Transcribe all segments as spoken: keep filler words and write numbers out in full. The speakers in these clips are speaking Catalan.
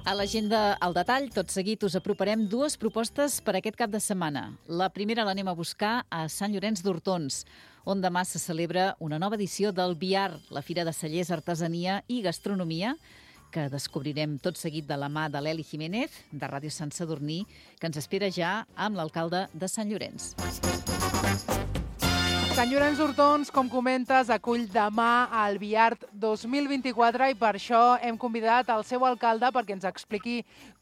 A l'agenda al detall, tot seguit us aproparem dues propostes per aquest cap de setmana. La primera l'anem a buscar a Sant Llorenç d'Hortons, on demà se celebra una nova edició del V I A R, la Fira de Cellers, Artesania i Gastronomia, que descobrirem tot seguit de la mà de l'Eli Jiménez, de Ràdio Sant Sadurní, que ens espera ja amb l'alcalde de Sant Llorenç. Sant Llorenç d'Hortons, com comentes, acull demà el V I A R dos mil vint-i-quatre i per això hem convidat el seu alcalde perquè ens expliqui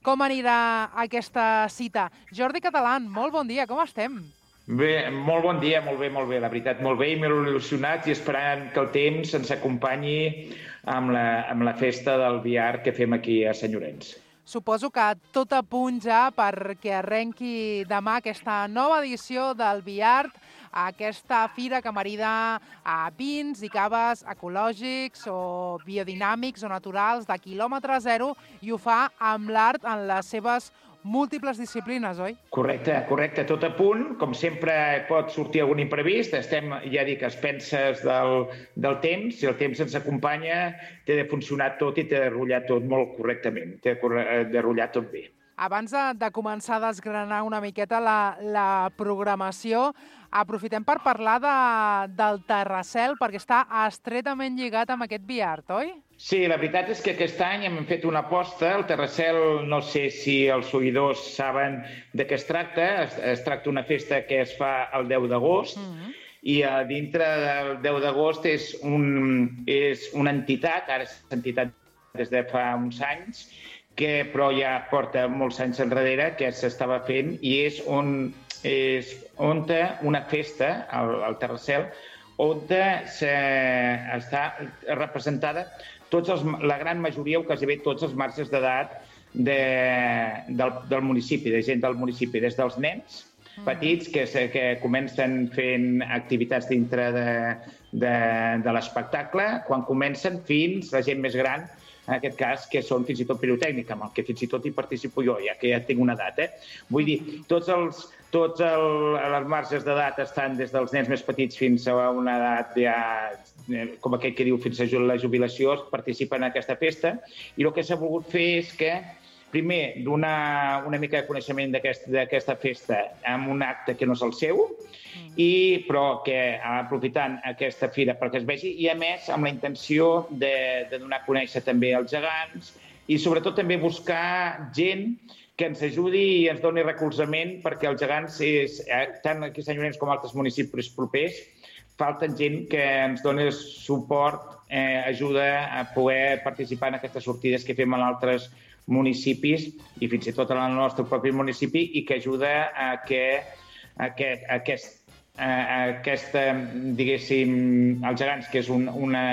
com anirà aquesta cita. Jordi Catalán, molt bon dia, com estem? Bé, molt bon dia, molt bé, molt bé, la veritat, molt bé i molt il·lusionats i esperant que el temps ens acompanyi amb la, amb la festa del V I A R que fem aquí a Sant Llorenç. Suposo que tot a punt ja perquè arrenqui demà aquesta nova edició del V I A R, aquesta fira que marida a vins i caves ecològics o biodinàmics o naturals de quilòmetre zero i ho fa amb l'art en les seves múltiples disciplines, oi? Correcte, correcte, tot a punt. Com sempre pot sortir algun imprevist. Estem, ja dic, a expenses del, del temps. Si el temps ens acompanya, té de funcionar tot i té de rotllar tot molt correctament. Té de rotllar tot bé. Abans de, de començar a desgranar una miqueta la, la programació, aprofitem per parlar de, del Terrassel, perquè està estretament lligat amb aquest V I A R, oi? Sí, la veritat és que aquest any hem fet una aposta. El Terrassel, no sé si els seguidors saben de què es tracta. Es, es tracta d'una festa que es fa el deu d'agost, mm-hmm. i a dintre del deu d'agost és, un, és una entitat, ara és entitat des de fa uns anys, que però ja porta molts anys enrere, que s'estava fent, i és on és on una festa, al, al Terrassel, on està representada tots els, la gran majoria, o quasi bé tots els marges d'edat de, del, del municipi, de gent del municipi, des dels nens petits que, que comencen fent activitats dintre de, de, de l'espectacle, quan comencen fins la gent més gran, en aquest cas, que són fins i tot pirotècnica, amb el que fins i tot hi participo jo, ja que ja tinc una edat. Eh? Vull dir, tots els, tots el, les marges d'edat estan des dels nens més petits fins a una edat ja, com aquell que diu, fins a la jubilació, participen en aquesta festa, i el que s'ha volgut fer és que, primer, donar una mica de coneixement d'aquesta festa amb un acte que no és el seu, i, però que aprofitant aquesta fira perquè es vegi, i a més amb la intenció de, de donar a conèixer també els gegants i sobretot també buscar gent que ens ajudi i ens doni recolzament, perquè els gegants, és, tant aquí a Sant Llorenç com a altres municipis propers, falten gent que ens doni suport, eh, ajuda a poder participar en aquestes sortides que fem en altres municipis i fins i tot en el nostre propi municipi, i que ajuda a que, a que a aquest aquesta, diguéssim, els gegants, que és, un, una,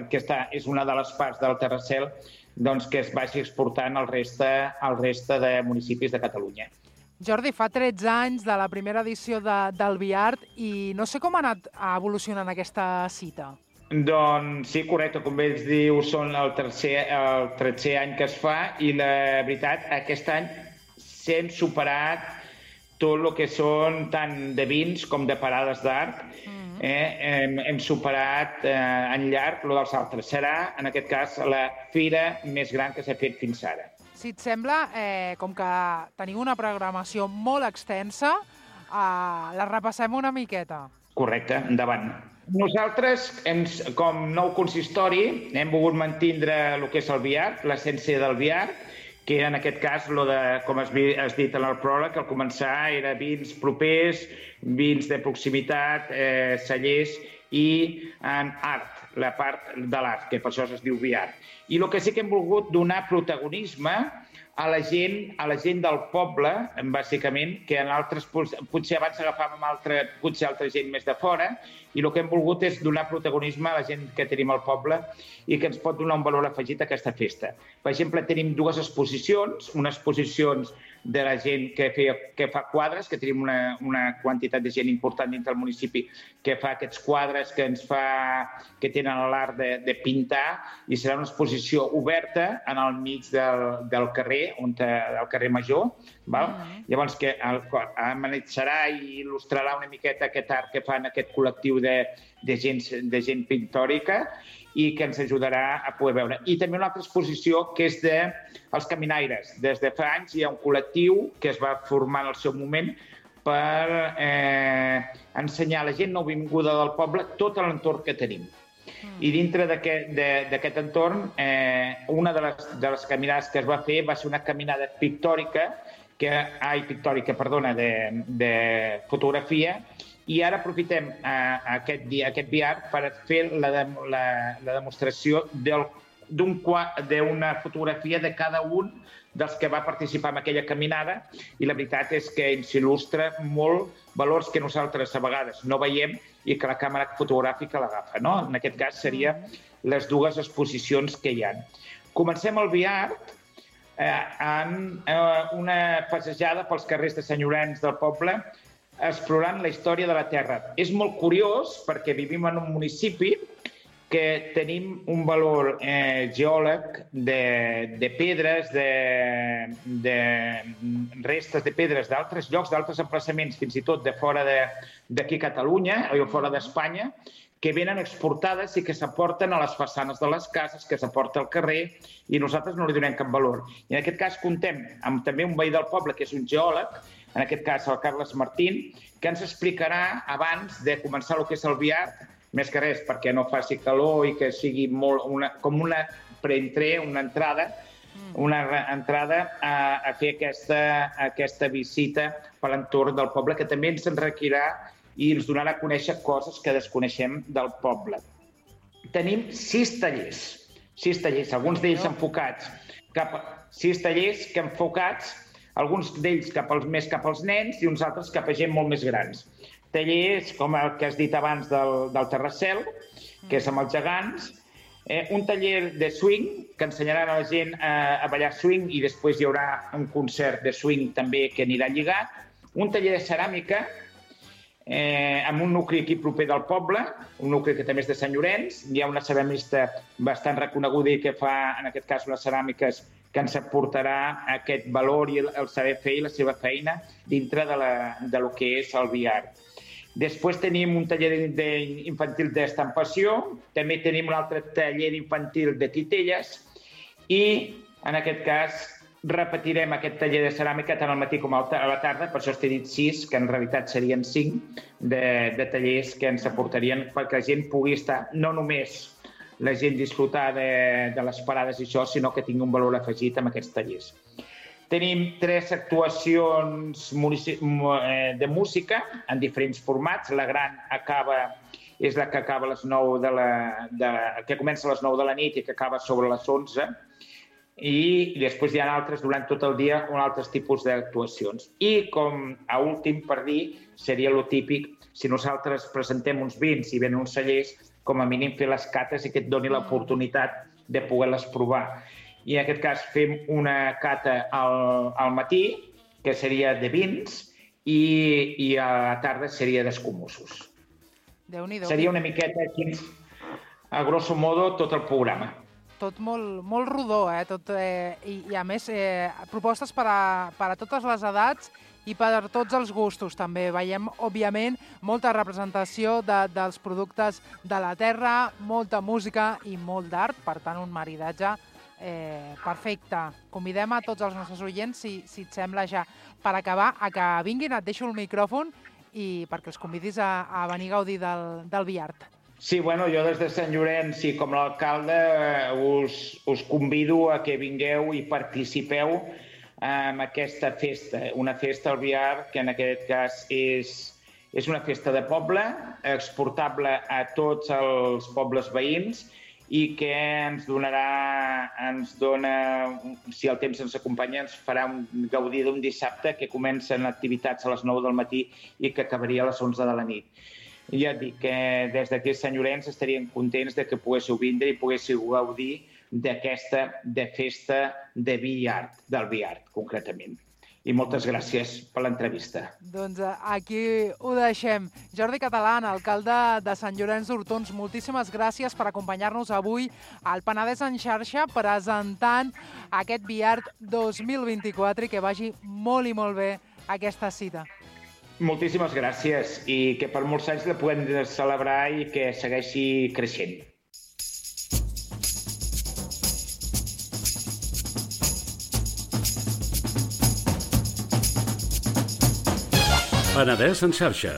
que està, és una de les parts del Terrassel, doncs que es vagi exportant al reste, al reste de municipis de Catalunya. Jordi, fa tretze anys de la primera edició de, del V I A R i no sé com ha anat evolucionant aquesta cita. Doncs sí, correcte, com bé es diu, són el tercer, el tretzè any que es fa, i la veritat, aquest any s'hem superat tot el que són tant de vins com de parades d'art. Mm-hmm. eh, hem, hem superat eh, en llarg el dels altres. Serà, en aquest cas, la fira més gran que s'ha fet fins ara. Si et sembla, eh, com que teniu una programació molt extensa, eh, la repassem una miqueta. Correcte, endavant. Nosaltres, hem, com nou consistori, hem volgut mantindre el que és el V I A R, l'essència del V I A R, que en aquest cas, lo de, com has dit en el pròleg, al començar era vins propers, vins de proximitat, eh, cellers i en art, la part de l'art, que per això es diu V I A R. I el que sí que hem volgut donar protagonisme a la gent, a la gent del poble, bàsicament, que en altres, potser abans agafàvem altre, potser altra gent més de fora, i el que hem volgut és donar protagonisme a la gent que tenim al poble i que ens pot donar un valor afegit a aquesta festa. Per exemple, tenim dues exposicions, unes exposicions de la gent que, feia, que fa quadres, que tenim una, una quantitat de gent important dintre del municipi que fa aquests quadres que ens fa, que tenen l'art de, de pintar, i serà una exposició oberta en el mig del, del carrer, on, del carrer Major, val? Mm-hmm. Llavors que amenatzarà i il·lustrarà una miqueta aquest art que fan aquest col·lectiu de, de, gent, de gent pictòrica, i que ens ajudarà a poder veure. I també una altra exposició que és de els caminaires. Des de fa anys hi ha un col·lectiu que es va formar en el seu moment per eh, ensenyar a la gent nouvinguda del poble tot l'entorn que tenim. Mm. I dintre d'aquest entorn, eh, una de les, de les caminades que es va fer va ser una caminada pictòrica, que, ai, pictòrica, perdona, de, de fotografia, i ara aprofitem eh, aquest, dia, aquest V R per fer la, de, la, la demostració d'una fotografia de cada un dels que va participar en aquella caminada, i la veritat és que ens il·lustra molt valors que nosaltres a vegades no veiem i que la càmera fotogràfica l'agafa, no? En aquest cas serien les dues exposicions que hi ha. Comencem el V R eh, en eh, una passejada pels carrers de Sant Llorenç del poble, explorant la història de la Terra. És molt curiós perquè vivim en un municipi que tenim un valor eh, geòleg de, de pedres, de, de restes de pedres d'altres llocs, d'altres emplaçaments, fins i tot de fora d'aquí a Catalunya o fora d'Espanya, que venen exportades i que s'aporten a les façanes de les cases, que s'aporta al carrer, i nosaltres no li donem cap valor. I en aquest cas comptem amb també un veí del poble, que és un geòleg, en aquest cas el Carles Martín, que ens explicarà abans de començar el que és el V R, més que res perquè no faci calor i que sigui molt una, com una preentrée, una entrada, una entrada a, a fer aquesta, aquesta visita per l'entorn del poble, que també ens enriquirà i ens donarà a conèixer coses que desconeixem del poble. Tenim sis tallers, sis tallers, alguns d'ells enfocats cap a, sis tallers que enfocats, alguns d'ells cap als, més cap als nens i uns altres cap a gent molt més grans. Tallers com el que has dit abans del, del Terrassel, que és amb els gegants, eh, un taller de swing, que ensenyarà a la gent a, a ballar swing, i després hi haurà un concert de swing també que anirà lligat, un taller de ceràmica, eh, amb un nucli aquí proper del poble, un nucli que també és de Sant Llorenç, hi ha una ceramista bastant reconeguda i que fa, en aquest cas, unes ceràmiques que ens aportarà aquest valor i el saber fer i la seva feina dintre de, la, de lo que és el V R. Després tenim un taller infantil d'estampació, també tenim un altre taller infantil de titelles i, en aquest cas, repetirem aquest taller de ceràmica tant al matí com a la tarda, per això t'he dit sis, que en realitat serien cinc, de, de tallers que ens aportarien perquè la gent pugui estar no només la gent disfrutar de, de les parades i això, sinó que tingui un valor afegit amb aquests tallers. Tenim tres actuacions de música en diferents formats. La gran acaba, és la que acaba a les nou de la, de, que comença a les nou de la nit i que acaba sobre les onze. I després hi ha altres durant tot el dia, un altres tipus d'actuacions. I com a últim per dir, seria lo típic, si nosaltres presentem uns vins i venen uns cellers, com a mínim fer les cates i que et doni l'oportunitat de poder-les provar. I en aquest cas fem una cata al, al matí, que seria de vins, i, i a la tarda seria d'escumussos. Déu-n'hi-do. Seria una miqueta aquí, a grosso modo, tot el programa. Tot molt, molt rodó, eh? Tot, eh? I, I a més, eh, propostes per a, per a totes les edats i per a tots els gustos, també. Veiem, òbviament, molta representació de, dels productes de la terra, molta música i molt d'art, per tant, un maridatge eh, perfecte. Convidem a tots els nostres oients, si, si et sembla ja, per acabar, a que vinguin, et deixo el micròfon i perquè els convidis a, a venir a gaudir del, del V R. Sí, bueno, jo des de Sant Llorenç i com l'alcalde us, us convido a que vingueu i participeu en aquesta festa, una festa al V R que en aquest cas és, és una festa de poble, exportable a tots els pobles veïns i que ens donarà, ens dona, si el temps ens acompanya, ens farà un, gaudir d'un dissabte que comencen activitats a les nou del matí i que acabaria a les onze de la nit. Ja et dic que des d'aquí a Sant Llorenç estaríem contents de que poguéssiu vindre i poguéssiu gaudir d'aquesta de festa de vi-art, del vi-art, concretament. I moltes gràcies per l'entrevista. Doncs aquí ho deixem. Jordi Catalán, alcalde de Sant Llorenç d'Hortons, moltíssimes gràcies per acompanyar-nos avui al Penedès en xarxa presentant aquest vi-art dos mil vint-i-quatre i que vagi molt i molt bé aquesta cita. Moltíssimes gràcies i que per molts anys la puguem celebrar i que segueixi creixent. Penedès en xarxa.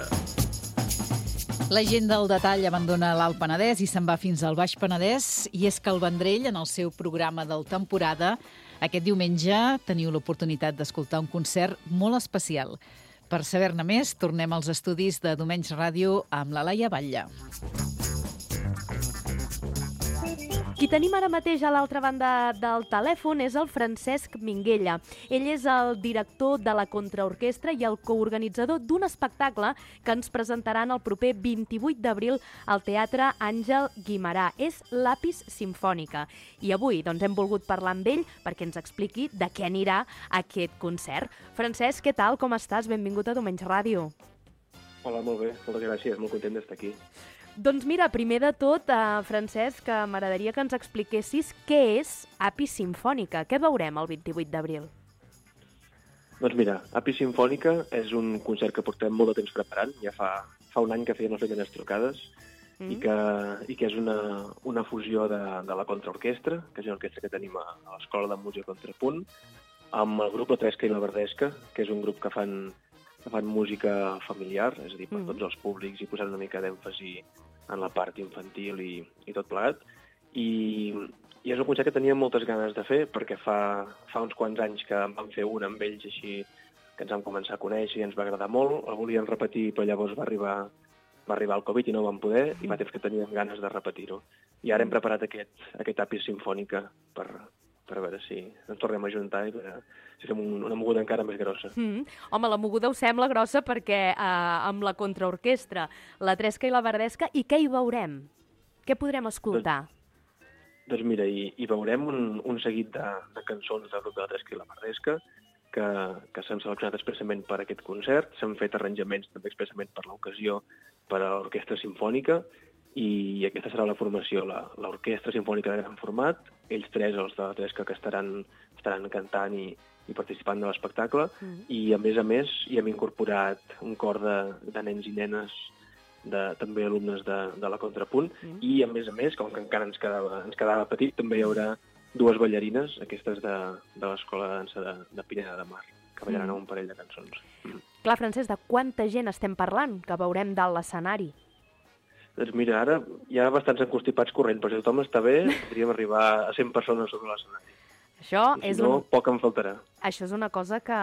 La gent del detall abandona l'Alt Penedès i se'n va fins al Baix Penedès, i és que el Vendrell, en el seu programa del temporada, aquest diumenge teniu l'oportunitat d'escoltar un concert molt especial. Per saber-ne més, tornem als estudis de Domenys Ràdio amb la Laia Batlle. Qui tenim ara mateix a l'altra banda del telèfon és el Francesc Minguella. Ell és el director de la Contraorquestra i el coorganitzador d'un espectacle que ens presentaran el proper vint-i-vuit d'abril al Teatre Àngel Guimerà. És l'Apis Simfònica. I avui doncs, hem volgut parlar amb ell perquè ens expliqui de què anirà aquest concert. Francesc, què tal? Com estàs? Benvingut a Domenys Ràdio. Hola, molt bé. Moltes gràcies. Molt content d'estar aquí. Doncs mira, primer de tot, eh, Francesc, m'agradaria que ens expliquessis què és Apis Simfònica. Què veurem el vint-i-vuit d'abril? Doncs mira, Apis Simfònica és un concert que portem molt de temps preparant. Ja fa, fa un any que feien les primeres trucades mm. i, que, i que és una, una fusió de, de la Contraorquestra, que és una orquestra que tenim a, a l'Escola de Música Contrapunt, amb el grup La Tresca i la Verdesca, que és un grup que fan, que fan música familiar, és a dir, per mm. tots els públics, i posant una mica d'èmfasi en la part infantil i, i tot plegat. I, I és un concert que teníem moltes ganes de fer, perquè fa, fa uns quants anys que en vam fer un amb ells així, que ens vam començar a conèixer i ens va agradar molt. El volien repetir, però llavors va arribar, va arribar el Covid i no vam poder, i fa temps que teníem ganes de repetir-ho. I ara hem preparat aquest, aquest Apis Simfònica per, per veure si ens tornem a juntar i per, si fem un, una moguda encara més grossa. Mm. Home, la moguda ho sembla grossa perquè eh, amb la Contraorquestra, la Tresca i la Verdesca, i què hi veurem? Què podrem escoltar? Doncs, doncs mira, hi, hi veurem un, un seguit de, de cançons del grup de la Tresca i la Verdesca que, que s'han seleccionat expressament per aquest concert. S'han fet arranjaments també expressament per l'ocasió per a l'Orquestra Simfònica, i aquesta serà la formació, l'Orquestra Simfònica de gran format, ells tres, els de la Tresca, que estaran, estaran cantant i, i participant de l'espectacle, mm. i a més a més hi hem incorporat un cor de, de nens i nenes, de, també alumnes de, de la Contrapunt, mm. i a més a més, com que encara ens quedava, ens quedava petit, també hi haurà dues ballarines, aquestes de, de l'Escola de Dansa de, de Pineda de Mar, que ballaran mm. un parell de cançons. Mm. Clar, Francesc, de quanta gent estem parlant que veurem dalt l'escenari? Doncs mira, ara hi ha bastants enconstipats corrent, però si tothom està bé, podríem arribar a cent persones sobre l'escenari. Això I si és no, un... poc em faltarà. Això és una cosa que,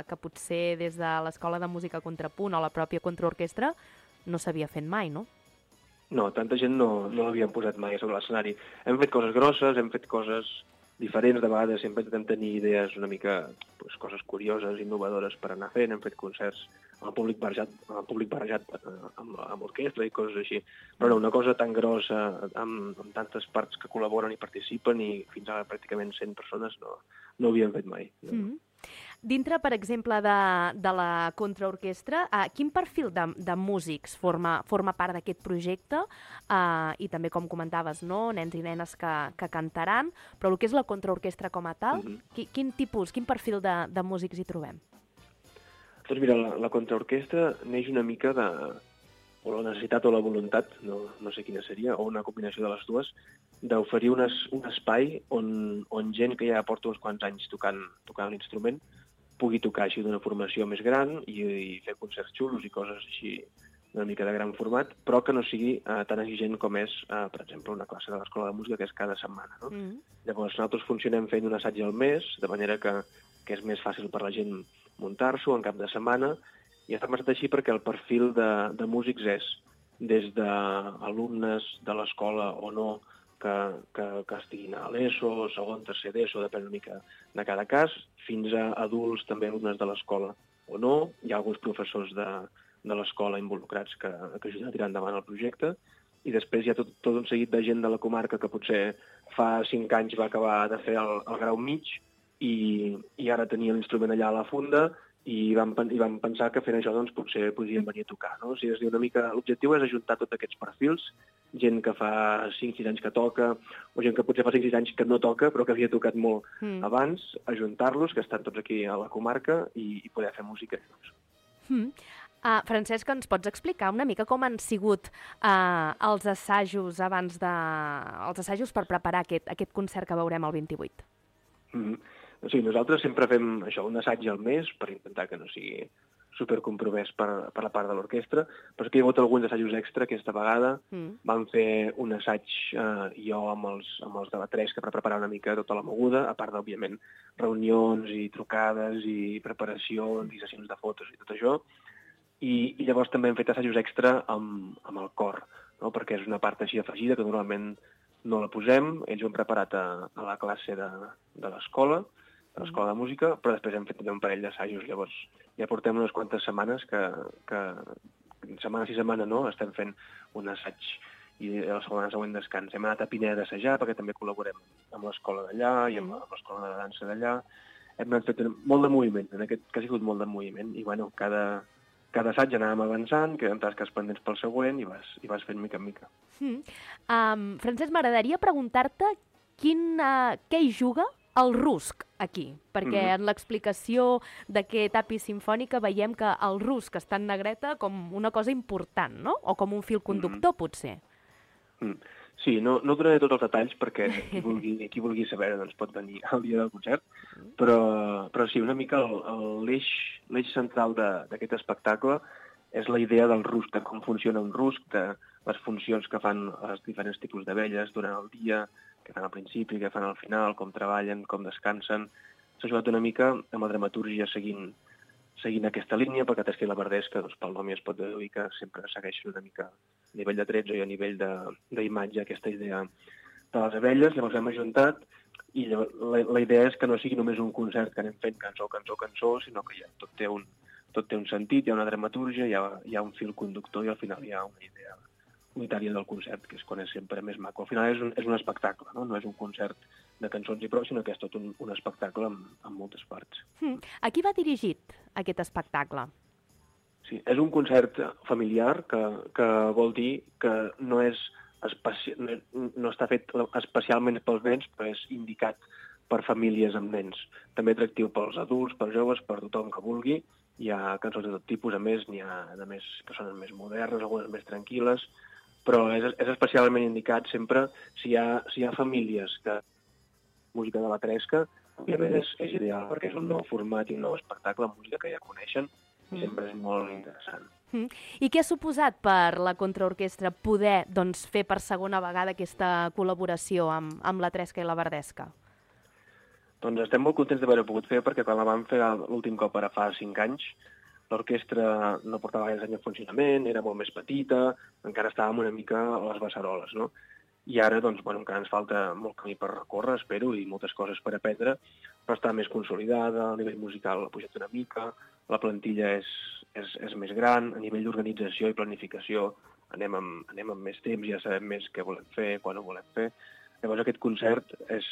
que potser des de l'Escola de Música Contrapunt o la pròpia Contraorquestra no s'havia fet mai, no? No, tanta gent no, no l'havien posat mai sobre l'escenari. Hem fet coses grosses, hem fet coses diferents, de vegades sempre intentem tenir idees una mica, pues, coses curioses, innovadores per anar fent, hem fet concerts amb el públic barrejat, amb, el públic barrejat amb, amb orquestra i coses així. Però no, una cosa tan grossa, amb, amb tantes parts que col·laboren i participen, i fins ara pràcticament cent persones no, no ho havíem fet mai. No. Mm-hmm. Dintre, per exemple, de, de la Contraorquestra, eh, quin perfil de, de músics forma, forma part d'aquest projecte? Eh, I també, com comentaves, no? Nens i nenes que, que cantaran, però el que és la Contraorquestra com a tal, mm-hmm. qui, quin tipus, quin perfil de, de músics hi trobem? Doncs mira, la, la Contraorquestra neix una mica de, o la necessitat o la voluntat, no, no sé quina seria, o una combinació de les dues, d'oferir un, es, un espai on, on gent que ja porta uns quants anys tocant, tocant l'instrument pugui tocar així d'una formació més gran i, i fer concerts xulos i coses així una mica de gran format, però que no sigui eh, tan exigent com és, eh, per exemple, una classe de l'Escola de Música, que és cada setmana. No? Mm. Llavors, nosaltres funcionem fent un assaig al mes, de manera que, que és més fàcil per la gent muntar-s'ho en cap de setmana, i està pensat així perquè el perfil de, de músics és des d'alumnes de l'escola o no, que, que, que estiguin a l'ESO, segon, tercer d'ESO, depèn una mica de cada cas, fins a adults, també alumnes de l'escola o no. Hi ha alguns professors de, de l'escola involucrats que, que ajuden a tirar endavant el projecte, i després hi ha tot, tot un seguit de gent de la comarca que potser fa cinc anys va acabar de fer el, el grau mig i, i ara tenia l'instrument allà a la funda i vam, i vam pensar que fent això doncs, potser podríem venir a tocar. No? O sigui, és dir, una mica, l'objectiu és ajuntar tots aquests perfils, gent que fa cinc sis anys que toca, o gent que potser fa cinc sis anys que no toca, però que havia tocat molt mm. abans, ajuntar-los, que estan tots aquí a la comarca, i, i poder fer música. Mm. Uh, Francesc, ens pots explicar una mica com han sigut uh, els assajos abans de... els assajos per preparar aquest, aquest concert que veurem el vint-i-vuit? Mm-hmm. O sigui, nosaltres sempre fem això, un assaig al mes, per intentar que no sigui supercompromès per, per la part de l'orquestra, però que hi ha hagut alguns assajos extra aquesta vegada. Mm. Vam fer un assaig eh, jo amb els, amb els de la Tresca per preparar una mica tota la moguda, a part d'òbviament reunions i trucades i preparacions i sessions de fotos i tot això. I, i llavors també hem fet assajos extra amb, amb el cor, no? Perquè és una part així afegida que normalment no la posem. Ells ho han preparat a, a la classe de, de l'escola, de l'escola de música, però després hem fet també un parell d'assajos. Llavors ja portem unes quantes setmanes que, que setmana sí setmana no, estem fent un assaig i la setmana següent descans. Hem anat a Pineda d'assajar perquè també col·laborem amb l'escola d'allà i amb, amb l'escola de dansa d'allà. Hem anat fet molt de moviment, en aquest cas ha sigut molt de moviment, i bueno, cada... Cada assaig anàvem avançant, queden tasques pendents pel següent i vas, i vas fent mica en mica. Mm. Um, Francesc, m'agradaria preguntar-te quin, uh, què hi juga el rusc aquí, perquè mm-hmm. en l'explicació d'aquest Àpia Simfònica veiem que el rusc està en negreta com una cosa important, no? O com un fil conductor, mm-hmm. potser. Mm. Sí, no, no donaré tots els detalls perquè qui vulgui, qui vulgui saber doncs pot venir al dia del concert, però, però sí, una mica l'eix l'eix central d'aquest espectacle és la idea del rusc, de com funciona un rusc, de les funcions que fan els diferents tipus d'abelles durant el dia, que fan al principi, que fan al final, com treballen, com descansen. S'ha jugat una mica amb la dramatúrgia seguint, seguint aquesta línia, perquè Tresca i la Verdesca, doncs, pel nom ja es pot deduir que sempre segueixen una mica a nivell de trets i a nivell d'imatge aquesta idea de les abelles. Llavors hem ajuntat i llavors, la, la idea és que no sigui només un concert que anem fent cançó, cançó, cançó, sinó que ja tot té un, tot té un sentit, hi ha una dramatúrgia, hi ha, hi ha un fil conductor i al final hi ha una idea unitària del concert, que és quan és sempre més maco. Al final és un, és un espectacle, no? No és un concert de cançons i prou, sinó que és tot un, un espectacle amb, amb moltes parts. Mm. A qui va dirigit aquest espectacle? Sí, és un concert familiar que, que vol dir que no, és especi... no, no està fet especialment pels nens, però és indicat per famílies amb nens. També atractiu pels adults, pels joves, per tothom que vulgui. Hi ha cançons de tot tipus, a més, n'hi ha de més que són més modernes, algunes més tranquil·les, però és, és especialment indicat sempre si hi ha, si hi ha famílies que música de la Tresca, òbviament és, és ideal perquè és un nou format i un nou espectacle, música que ja coneixen, i sempre és molt interessant. Mm. I què ha suposat per la contraorquestra poder doncs, fer per segona vegada aquesta col·laboració amb, amb la Tresca i la Verdesca? Doncs estem molt contents d'haver-ho pogut fer perquè quan la vam fer l'últim cop ara fa cinc anys, l'orquestra no portava gaire anys en funcionament, era molt més petita, encara estàvem una mica a les beceroles, no? I ara, doncs, bueno, encara ens falta molt camí per recórrer, espero, i moltes coses per aprendre, però està més consolidada, a nivell musical ha pujat una mica, la plantilla és, és, és més gran, a nivell d'organització i planificació anem amb, anem amb més temps, ja sabem més què volem fer, quan ho volem fer. Llavors aquest concert és,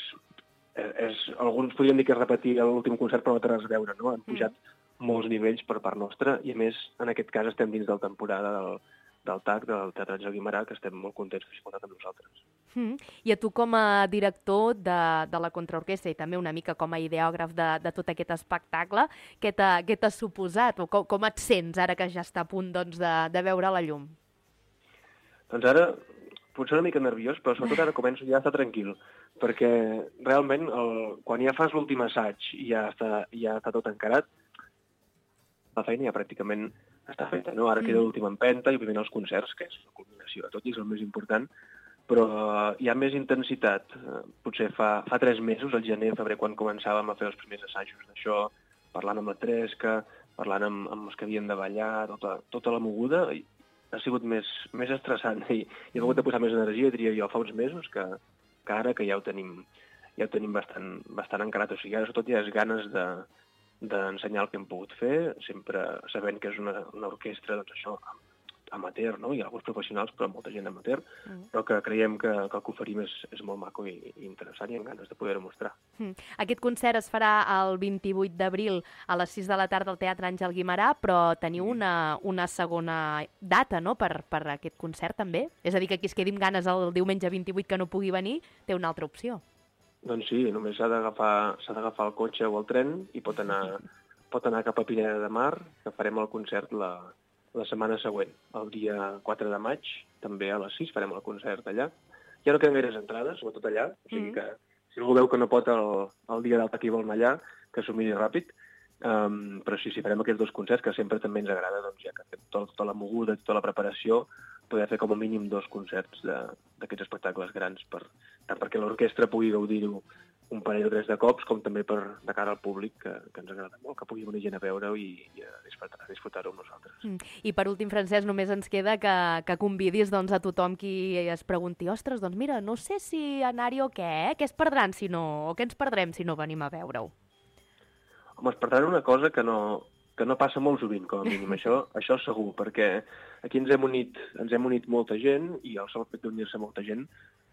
és, és alguns podrien dir que és repetir l'últim concert, però no té res a veure, no? Han pujat mm. molts nivells per part nostra i a més, en aquest cas, estem dins de la temporada del, del T A C, del Teatre Àngel Guimerà, que estem molt contents que s'hi portat amb nosaltres. Mm. I a tu com a director de, de la contraorquestra i també una mica com a ideògraf de, de tot aquest espectacle, què t'ha suposat o com, com et sents ara que ja està a punt doncs, de, de veure la llum? Doncs ara potser una mica nerviós, però sobretot ara començo ja a estar tranquil, perquè realment el, quan ja fas l'últim assaig i ja està, ja està tot encarat, la feina ja pràcticament està feta, no? Ara queda l'última empenta i òbviament els concerts, que és la culminació de tot i és el més important, però hi ha més intensitat. Potser fa, fa tres mesos, al gener, febrer, quan començàvem a fer els primers assajos d'això, parlant amb la Tresca, parlant amb, amb els que havien de ballar, tota, tota la moguda, i ha sigut més, més estressant i, i he hagut de posar més energia, diria jo, fa uns mesos que, cara, que ja ho tenim, ja ho tenim bastant, bastant encarat. O sigui, ara sobretot hi ha ganes de, d'ensenyar el que hem pogut fer, sempre sabent que és una, una orquestra, doncs això, amateur, no? Hi ha alguns professionals, però molta gent amateur, mm. però que creiem que, que el que oferim és, és molt maco i, i interessant i amb ganes de poder-ho mostrar. Mm. Aquest concert es farà el vint-i-vuit d'abril a les sis de la tarda al Teatre Àngel Guimerà, però teniu una, una segona data, no?, per, per aquest concert també? És a dir, que qui es quedi amb ganes el diumenge vint-i-vuit que no pugui venir, té una altra opció. Doncs sí, només s'ha d'agafar s'ha d'agafar el cotxe o el tren i pot anar, pot anar cap a Pineda de Mar, que farem el concert la, la setmana següent, el dia quatre de maig, també a les sis farem el concert allà. Ja no queden gaires entrades, sobretot allà, o sigui que si algú veu que no pot el, el dia d'alta que hi vol anar allà, que s'ho miri ràpid. Um, però sí, sí, farem aquests dos concerts, que sempre també ens agrada, doncs, ja que fem tot, tota la moguda, tota la preparació, poder fer com a mínim dos concerts d'aquests espectacles grans, per, tant perquè l'orquestra pugui gaudir-ho un parell o tres de cops, com també per, de cara al públic, que, que ens agrada molt, que pugui venir gent a veure-ho i, i a disfrutar, disfrutar-ho amb nosaltres. Mm. I per últim, Francesc, només ens queda que, que convidis doncs, a tothom qui es pregunti ostres, doncs mira, no sé si anar-hi o què, eh? Què es perdran si no, o què ens perdrem si no venim a veure-ho? Home, es perdran una cosa que no, que no passa molt sovint, com a mínim, això, això segur, perquè aquí ens hem unit, ens hem unit molta gent i el sol fet d'unir-se molta gent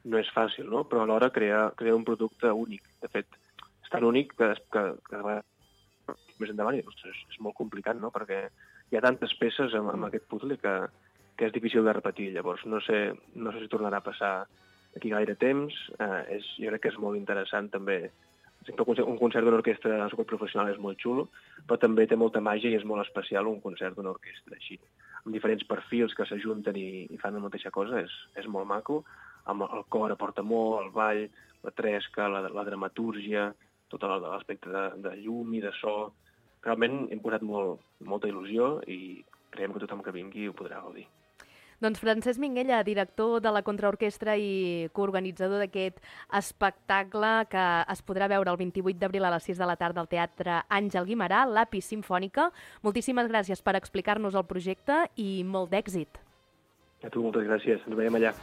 no és fàcil, no? Però alhora crear, crear un producte únic. De fet, és tan únic que, que, que més endavant i, ostres, és molt complicat, no? Perquè hi ha tantes peces amb, amb aquest puzzle que, que és difícil de repetir. Llavors, no sé, no sé si tornarà a passar aquí gaire temps. Eh, és, jo crec que és molt interessant també. Un concert d'una orquestra professional és molt xulo, però també té molta màgia i és molt especial un concert d'una orquestra així, amb diferents perfils que s'ajunten i, i fan la mateixa cosa. És, és molt maco. Amb el cor aporta molt, el ball, la tresca, la, la dramatúrgia, tot l'aspecte de, de llum i de so. Realment hem posat molt, molta il·lusió i creiem que tothom que vingui ho podrà gaudir. Doncs Francesc Minguella, director de la Contraorquestra i coorganitzador d'aquest espectacle que es podrà veure el vint-i-vuit d'abril a les sis de la tarda al Teatre Àngel Guimerà, l'Apis Simfònica. Moltíssimes gràcies per explicar-nos el projecte i molt d'èxit. A tu, moltes gràcies. Ens veiem allà.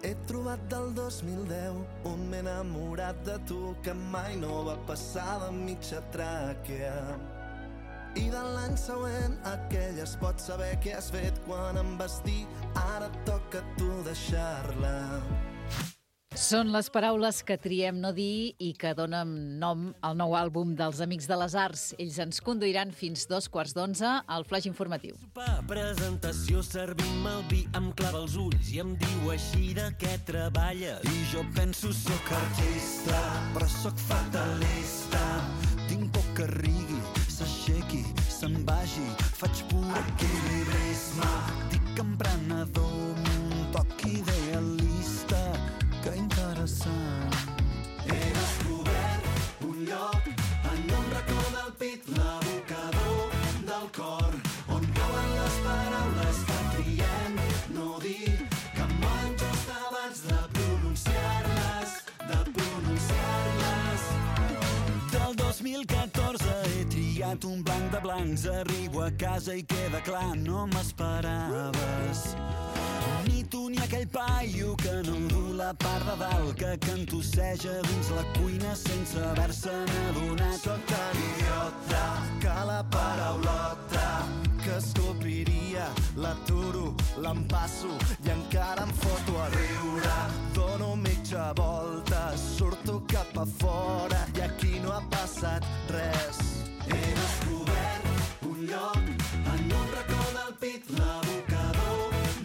He trobat del dos mil deu un m'he enamorat de tu que mai no va passar de mitja tràquea. I de l'any següent aquell es pot saber què has fet quan em vas dir ara toca a tu deixar-la. Són les paraules que triem no dir i que donen nom al nou àlbum dels Amics de les Arts. Ells ens conduiran fins dos quarts d'onze al Flaix Informatiu. Presentació, servim el vi, em clava els ulls i em diu així de què treballes. I jo penso soc artista, però soc fatalista. Tinc por que rigui, s'aixequi, se'n vagi, faig pur equilibrisme. Dic emprenedor, un toc idealista. Que interessant. He descobert un lloc en un racó del pit, l'abocador del cor, on cauen les paraules que triem no dir, que moren just abans de pronunciar-les, de pronunciar-les. Del dos mil catorze he triat un blanc de blancs, arribo a casa i queda clar, no m'esperaves. Ni tu ni aquell paio que no du la part de dalt, que cantosseja dins la cuina sense haver-se'n adonat. Soc tan idiota que la paraulota que es copiria l'aturo, l'empasso i encara em foto a riure. Dono mitja volta, surto cap a fora i aquí no ha passat res. He descobert un lloc en un racó del pit, l'abocador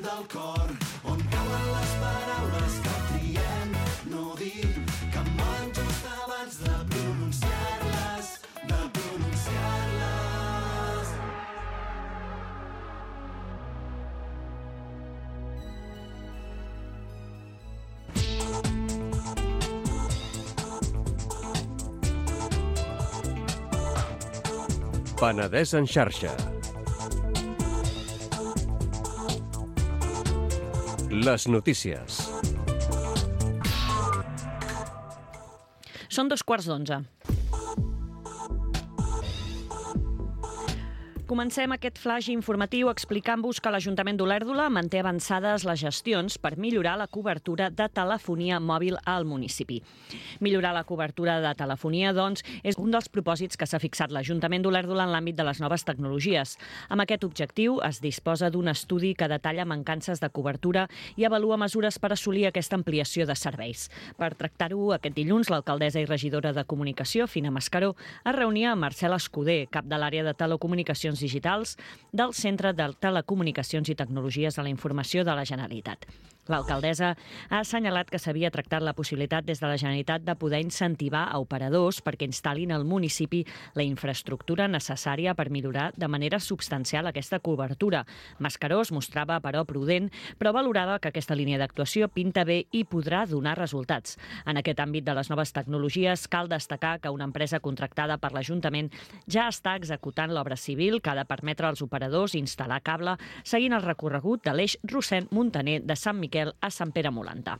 del cor, on cauen les paraules que triem no dir, que moren just abans de pronunciar-les, de pronunciar-les. Penedès en xarxa. Les notícies. Són dos quarts d'onze. Comencem aquest flash informatiu explicant-vos que l'Ajuntament d'Olèrdola manté avançades les gestions per millorar la cobertura de telefonia mòbil al municipi. Millorar la cobertura de telefonia, doncs, és un dels propòsits que s'ha fixat l'Ajuntament d'Olèrdola en l'àmbit de les noves tecnologies. Amb aquest objectiu es disposa d'un estudi que detalla mancances de cobertura i avalua mesures per assolir aquesta ampliació de serveis. Per tractar-ho, aquest dilluns, l'alcaldessa i regidora de Comunicació, Fina Mascaró, es reunia amb Marcel Escudé, cap de l'àrea de telecomunicacions digitals del Centre de Telecomunicacions i Tecnologies de la Informació de la Generalitat. L'alcaldessa ha assenyalat que s'havia tractat la possibilitat des de la Generalitat de poder incentivar a operadors perquè instal·lin al municipi la infraestructura necessària per millorar de manera substancial aquesta cobertura. Mascaró es mostrava, però, prudent, però valorava que aquesta línia d'actuació pinta bé i podrà donar resultats. En aquest àmbit de les noves tecnologies cal destacar que una empresa contractada per l'Ajuntament ja està executant l'obra civil que ha de permetre als operadors instal·lar cable seguint el recorregut de l'eix Rossend-Montaner de Sant Miquel a Sant Pere Molanta.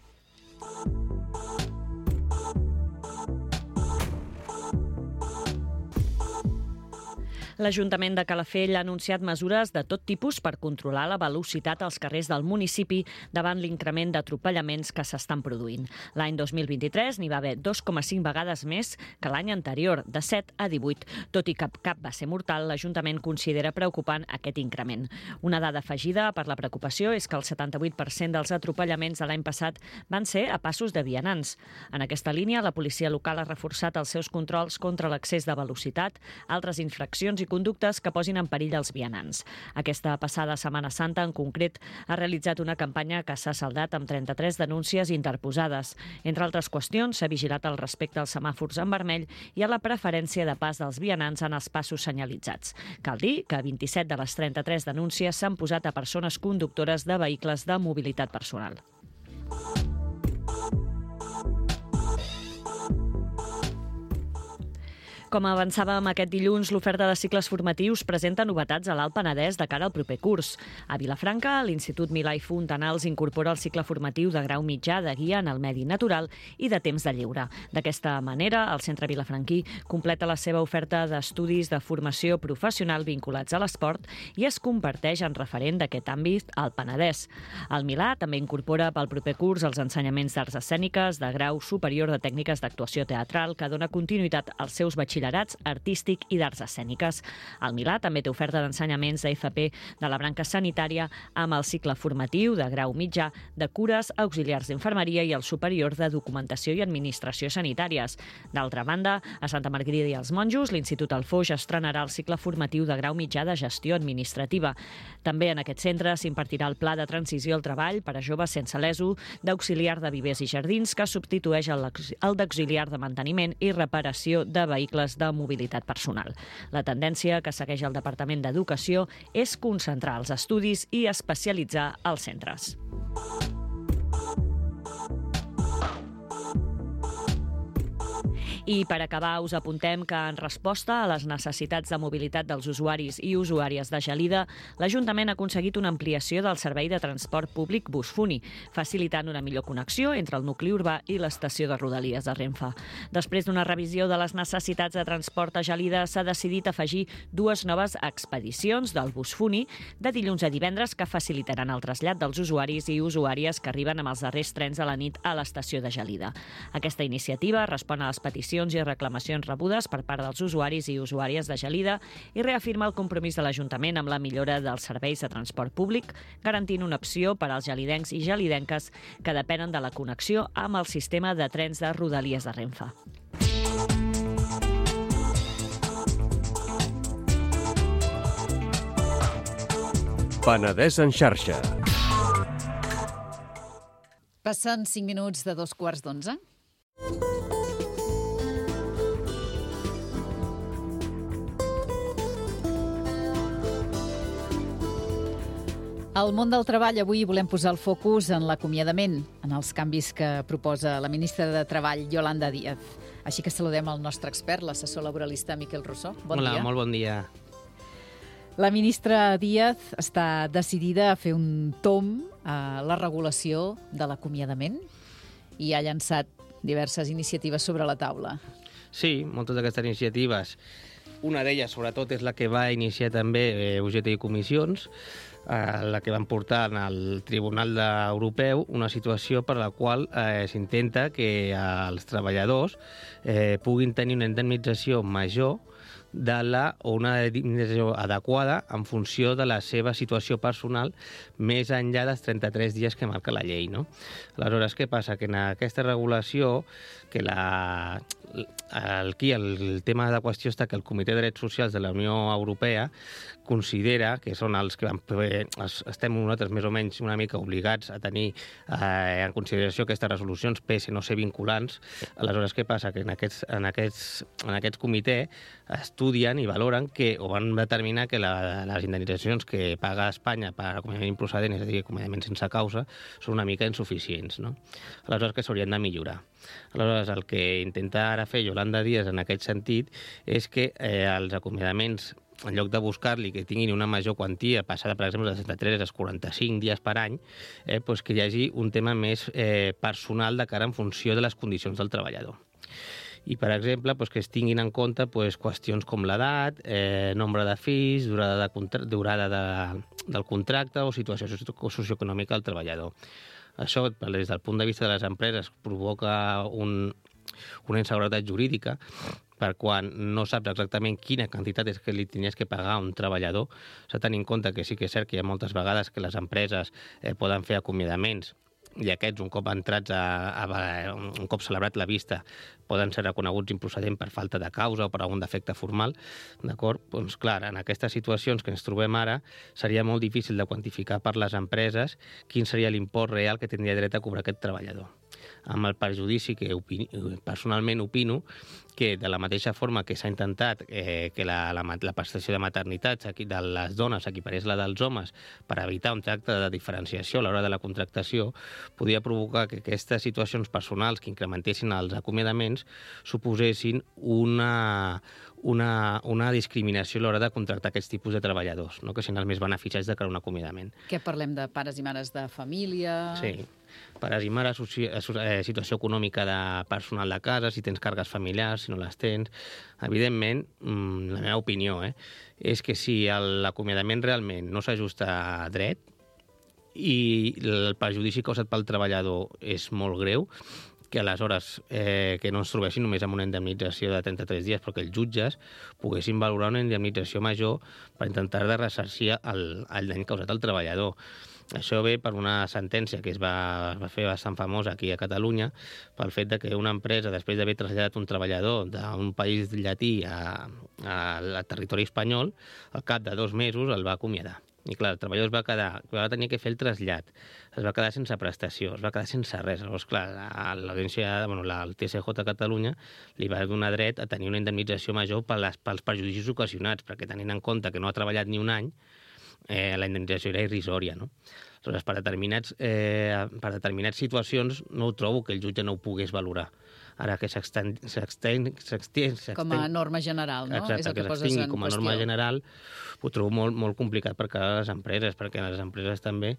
L'Ajuntament de Calafell ha anunciat mesures de tot tipus per controlar la velocitat als carrers del municipi davant l'increment d'atropellaments que s'estan produint. L'any dos mil vint-i-tres n'hi va haver dos coma cinc vegades més que l'any anterior, de set a divuit. Tot i que cap va ser mortal, l'Ajuntament considera preocupant aquest increment. Una dada afegida per la preocupació és que el setanta-vuit per cent dels atropellaments de l'any passat van ser a passos de vianants. En aquesta línia, la policia local ha reforçat els seus controls contra l'excés de velocitat, altres infraccions i conductes que posin en perill els vianants. Aquesta passada Setmana Santa, en concret, ha realitzat una campanya que s'ha saldat amb trenta-tres denúncies interposades. Entre altres qüestions, s'ha vigilat el respecte als semàfors en vermell i a la preferència de pas dels vianants en els passos senyalitzats. Cal dir que vint-i-set de les trenta-tres denúncies s'han posat a persones conductores de vehicles de mobilitat personal. Com avançàvem aquest dilluns, l'oferta de cicles formatius presenta novetats a l'Alt Penedès de cara al proper curs. A Vilafranca, l'Institut Milà i Fontanals incorpora el cicle formatiu de grau mitjà de guia en el medi natural i de temps de lleure. D'aquesta manera, el centre vilafranquí completa la seva oferta d'estudis de formació professional vinculats a l'esport i es converteix en referent d'aquest àmbit al Penedès. El Milà també incorpora pel proper curs els ensenyaments d'arts escèniques de grau superior de tècniques d'actuació teatral que dona continuïtat als seus batxillerats artístic i d'arts escèniques. El Milà també té oferta d'ensenyaments de F P de la branca sanitària amb el cicle formatiu de grau mitjà de cures, auxiliars d'infermeria i el superior de documentació i administració sanitàries. D'altra banda, a Santa Margarida i els Monjos, l'Institut Alfoix estrenarà el cicle formatiu de grau mitjà de gestió administrativa. També en aquest centre s'impartirà el pla de transició al treball per a joves sense l'E S O d'auxiliar de vivers i jardins que substitueix el d'auxiliar de manteniment i reparació de vehicles de mobilitat personal. La tendència que segueix el Departament d'Educació és concentrar els estudis i especialitzar els centres. I per acabar us apuntem que en resposta a les necessitats de mobilitat dels usuaris i usuàries de Gelida, l'Ajuntament ha aconseguit una ampliació del servei de transport públic Busfuni, facilitant una millor connexió entre el nucli urbà i l'estació de Rodalies de Renfe. Després d'una revisió de les necessitats de transport a Gelida, s'ha decidit afegir dues noves expedicions del Busfuni de dilluns a divendres que facilitaran el trasllat dels usuaris i usuàries que arriben amb els darrers trens de la nit a l'estació de Gelida. Aquesta iniciativa respon a les peticions i reclamacions rebudes per part dels usuaris i usuàries de Gelida i reafirma el compromís de l'Ajuntament amb la millora dels serveis de transport públic, garantint una opció per als gelidencs i gelidenques que depenen de la connexió amb el sistema de trens de Rodalies de Renfe. Penedès en xarxa. Passen cinc minuts de dos quarts d'onze. Al món del treball avui volem posar el focus en l'acomiadament, en els canvis que proposa la ministra de Treball, Yolanda Díaz. Així que saludem el nostre expert, l'assessor laboralista Miquel Rossó. Bon Hola, dia. molt bon dia. La ministra Díaz està decidida a fer un tomb a la regulació de l'acomiadament i ha llançat diverses iniciatives sobre la taula. Sí, moltes d'aquestes iniciatives Una d'elles, sobretot, és la que va iniciar també eh, U G T i Comissions, eh, la que van portar al Tribunal Europeu una situació per la qual eh, s'intenta que els treballadors eh, puguin tenir una indemnització major de la, o una indemnització adequada en funció de la seva situació personal més enllà dels trenta-tres dies que marca la llei, no? Aleshores, què passa? Que en aquesta regulació, que la, aquí el, el tema de qüestió està que el Comitè de Drets Socials de la Unió Europea considera que són els que van, estem nosaltres més o menys una mica obligats a tenir eh, en consideració aquestes resolucions, pese no ser vinculants. Aleshores, què passa? Que en aquests, en aquests, en aquests comitè estudien i valoren que, o van determinar que la, les indemnitzacions que paga Espanya per acomiadament improcedent, és a dir, acomiadament sense causa, són una mica insuficients, no? Aleshores, que s'haurien de millorar. Aleshores, el que intenta ara fer Yolanda Díaz en aquest sentit és que eh, els acomiadaments, en lloc de buscar-li que tinguin una major quantia, passada, per exemple, dels trenta-tres als quaranta-cinc dies per any, eh, doncs que hi hagi un tema més eh, personal de cara en funció de les condicions del treballador. I, per exemple, doncs que es tinguin en compte doncs, qüestions com l'edat, eh, nombre de fills, durada, de contra durada de, del contracte o situació socioeconòmica del treballador. Això, des del punt de vista de les empreses, provoca un, una inseguretat jurídica, per quan no saps exactament quina quantitat és que li tenies que pagar a un treballador. S'ha de tenir en compte que sí que és cert que hi ha moltes vegades que les empreses eh, poden fer acomiadaments i aquests, un cop entrats a, a, un cop celebrat la vista, poden ser reconeguts improcedent per falta de causa o per algun defecte formal, d'acord? Doncs clar, en aquestes situacions que ens trobem ara, seria molt difícil de quantificar per les empreses quin seria l'import real que tindria dret a cobrar aquest treballador. Amb el perjudici que opini, personalment opino que de la mateixa forma que s'ha intentat eh, que la, la, la prestació de maternitat de les dones equiparés la dels homes per evitar un tracte de diferenciació a l'hora de la contractació, podia provocar que aquestes situacions personals que incrementessin els acomiadaments suposessin una, una, una discriminació a l'hora de contractar aquests tipus de treballadors, no? Que siguin els més beneficiats de cara a un acomiadament. Què parlem de pares i mares de família? Sí. Pares i mares, situació econòmica de personal de casa, si tens càrregues familiars, si no les tens. Evidentment, la meva opinió eh, és que si l'acomiadament realment no s'ajusta a dret i el perjudici causat pel treballador és molt greu, que aleshores eh, que no ens trobessin només amb una indemnització de trenta-tres dies, però que els jutges poguessin valorar una indemnització major per intentar de ressarcir el, el dany causat al treballador. Això ve per una sentència que es va, es va fer bastant famosa aquí a Catalunya pel fet de que una empresa, després d'haver traslladat un treballador d'un país llatí a, a, a territori espanyol, al cap de dos mesos el va acomiadar. I clar, el treballador es va quedar, va tenir que fer el trasllat, es va quedar sense prestació, es va quedar sense res. Llavors, clar, l'audiència, bueno, el T S J a Catalunya li va donar dret a tenir una indemnització major per les, pels perjudicis ocasionats, perquè tenint en compte que no ha treballat ni un any, eh, la indemnització era irrisòria, no? Aleshores, per determinats, eh, per determinats situacions no ho trobo que el jutge no ho pogués valorar. Ara que s'extén... Com a norma general, no? Exacte, és el que, que s'extingui poses en com a qüestió. norma general ho trobo molt, molt complicat per cara a les empreses, perquè les empreses també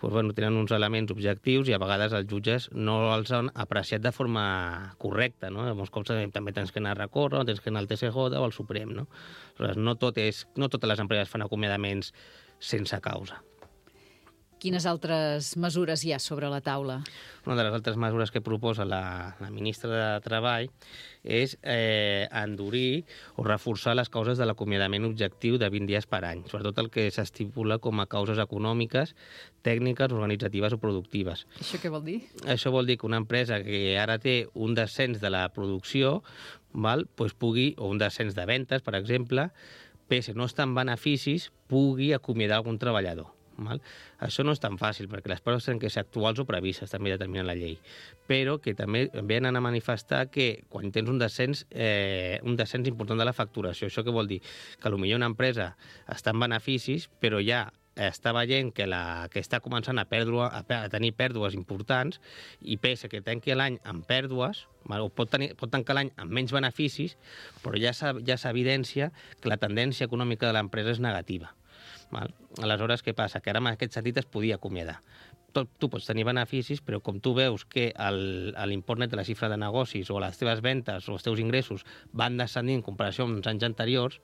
doncs, bueno, tenen uns elements objectius i a vegades els jutges no els han apreciat de forma correcta, no? Molts cops també tens que anar a recórrer, tens que anar al T S J o al Suprem, no? Aleshores, no, tot és, no totes les empreses fan acomiadaments sense causa. Quines altres mesures hi ha sobre la taula? Una de les altres mesures que proposa la, la ministra de Treball és eh, endurir o reforçar les causes de l'acomiadament objectiu de vint dies per any, sobretot el que s'estipula com a causes econòmiques, tècniques, organitzatives o productives. Això què vol dir? Això vol dir que una empresa que ara té un descens de la producció, val, doncs pugui, o un descens de ventes, per exemple, pese no estar en beneficis, pugui acomiadar algun treballador. Val? Això no és tan fàcil, perquè les coses tenen que ser actuals o previstes, també determina la llei, però que també venen a manifestar que quan tens un descens, eh, un descens important de la facturació, això què vol dir? Que potser una empresa està en beneficis, però ja està veient que, la, que està començant a, perdre, a, a tenir pèrdues importants i pese que tanqui l'any amb pèrdues, val? O pot, tenir, pot tancar l'any amb menys beneficis, però ja s'evidència que la tendència econòmica de l'empresa és negativa. Val? Aleshores, què passa? Que ara en aquest sentit es podia acomiadar. tot, tu pots tenir beneficis, però com tu veus que el- l'import net de la xifra de negocis o les teves ventes o els teus ingressos van descendint en comparació amb els anys anteriors,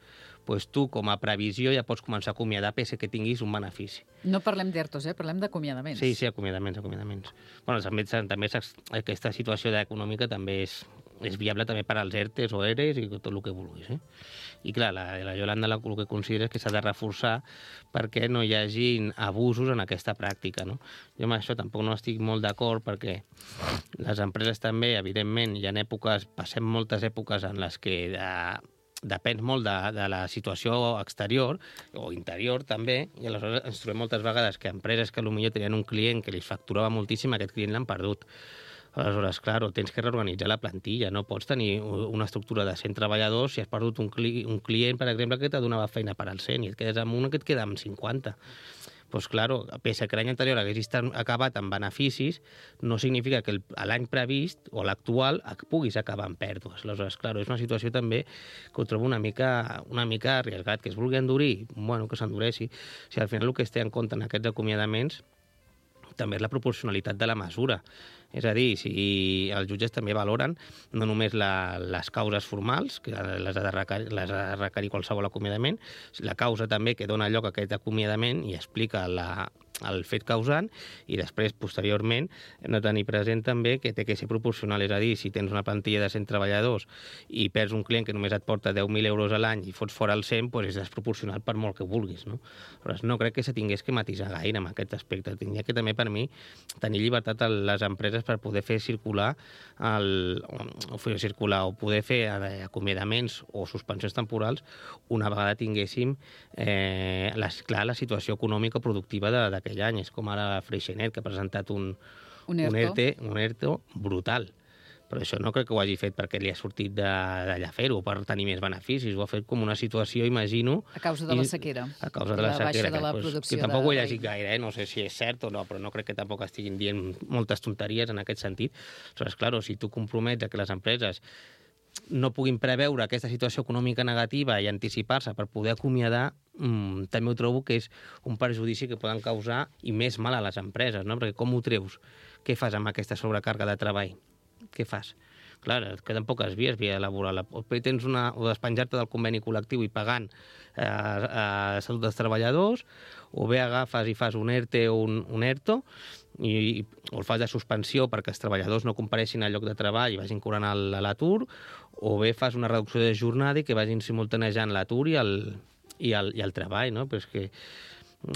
doncs tu, com a previsió, ja pots començar a acomiadar pese que tinguis un benefici. No parlem d'ertos, eh? Parlem d'acomiadaments. Sí, sí, acomiadaments, acomiadaments. Bueno, també, també s'ex- aquesta situació econòmica també és, és viable també per als ERTEs o ERES i tot el que vulguis. Eh? I clar, la, la Yolanda el que considera és que s'ha de reforçar perquè no hi hagi abusos en aquesta pràctica. No? Jo amb això tampoc no estic molt d'acord perquè les empreses també, evidentment, hi ha èpoques, passem moltes èpoques en les que de, depèn molt de, de la situació exterior o interior també, i aleshores ens trobem moltes vegades que empreses que potser tenien un client que li facturava moltíssim, aquest client l'han perdut. Aleshores, clar, tens que reorganitzar la plantilla. No pots tenir una estructura de cent treballadors si has perdut un, cli un client, per exemple, que te donava feina per al cent i et quedes amb un que et queda amb cinquanta. Doncs, clar, pese que l'any anterior haguessis acabat amb beneficis, no significa que l'any previst o l'actual puguis acabar amb pèrdues. Aleshores, clar, és una situació també que ho trobo una mica, una mica arriesgat. Que es vulgui endurir, bueno, que s'endureixi. Si al final el que es té en compte en aquests acomiadaments també és la proporcionalitat de la mesura. És a dir, si els jutges també valoren no només la, les causes formals, que les ha, de requerir, les ha de requerir qualsevol acomiadament, la causa també que dona lloc a aquest acomiadament i explica la, el fet causant, i després, posteriorment, hem de tenir present també que té que ser proporcional. És a dir, si tens una plantilla de cent treballadors i perds un client que només et porta deu mil euros a l'any i fots fora el cent, doncs és desproporcional per molt que vulguis. No? Però no crec que se tingués que matisar gaire en aquest aspecte. Tindria que també, per mi, tenir llibertat a les empreses per poder fer circular el, o fer circular o poder fer acomiadaments o suspensions temporals una vegada tinguéssim eh, la, clar, la situació econòmica o productiva d'aquell any. És com ara Freixenet, que ha presentat un, un, ERTO. un, ERTE, un ERTO brutal. Però això no crec que ho hagi fet perquè li ha sortit d'allà fer-ho, per tenir més beneficis. Ho ha fet com una situació, imagino... A causa de la sequera. A causa de la, la sequera. De la que, pues, que tampoc ho he llegit gaire, eh? No sé si és cert o no, però no crec que tampoc estiguin dient moltes tonteries en aquest sentit. Aleshores, clar, si tu compromets a que les empreses no puguin preveure aquesta situació econòmica negativa i anticipar-se per poder acomiadar, mmm, també ho trobo que és un perjudici que poden causar i més mal a les empreses, no? Perquè com ho treus? Què fas amb aquesta sobrecàrrega de treball? Què fas? Clar, et queden poques vies, via laboral. O tens una, o despenjar-te del conveni col·lectiu i pagant eh, a salut dels treballadors, o bé agafes i fas un ERTE o un, un ERTO, i, o el fas de suspensió perquè els treballadors no compareixin al lloc de treball i vagin cobrant l'atur, o bé fas una reducció de jornada i que vagin simultanejant l'atur i, el, i, el, i el treball, no? Però és que